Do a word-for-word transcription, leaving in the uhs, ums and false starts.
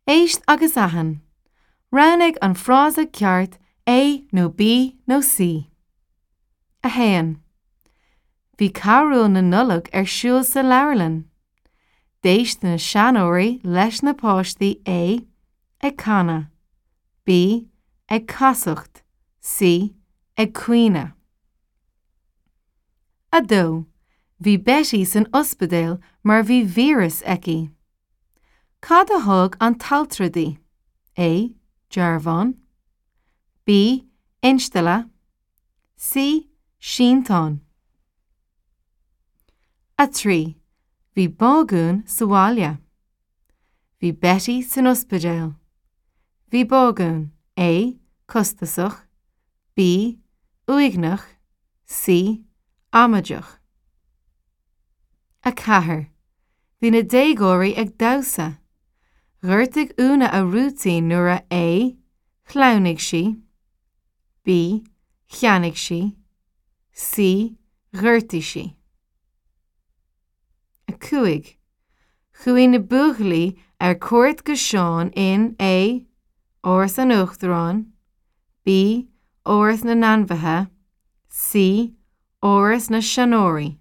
Éist agus aithin. Roghnaigh an frása ceart A nó B nó C. A haon. Bhí carúil na Nollag ar siúl sa leabharlann. D'éist na seanóirí leis na páistí A ag canadh, B ag casacht, C ag caoineadh. A dó. Bhí Betty san ospidéal mar bhí víreas aici. Cad a thug an t-altra di? A. Dearbhán. B. Instealladh. C. Sínteán. A trí. Bhí bágún sa bhaile. Bhí Betty san ospidéal. Bhí bágún A. Costasach. B. Uaigneach. C. Amaideach. A ceathair. Bhí na déagóirí ag damhsa. Ghortaigh Úna a rúitín nuair a A. Shleamhnaigh sí. B. Cheannaigh sí. C. Ghortaigh sí. A cúig. Chuaigh na buachaillí ar cuairt go Seán in A. Áras an Uachtaráin, B. Áras na nAinmhithe, C. Áras na Seanóirí.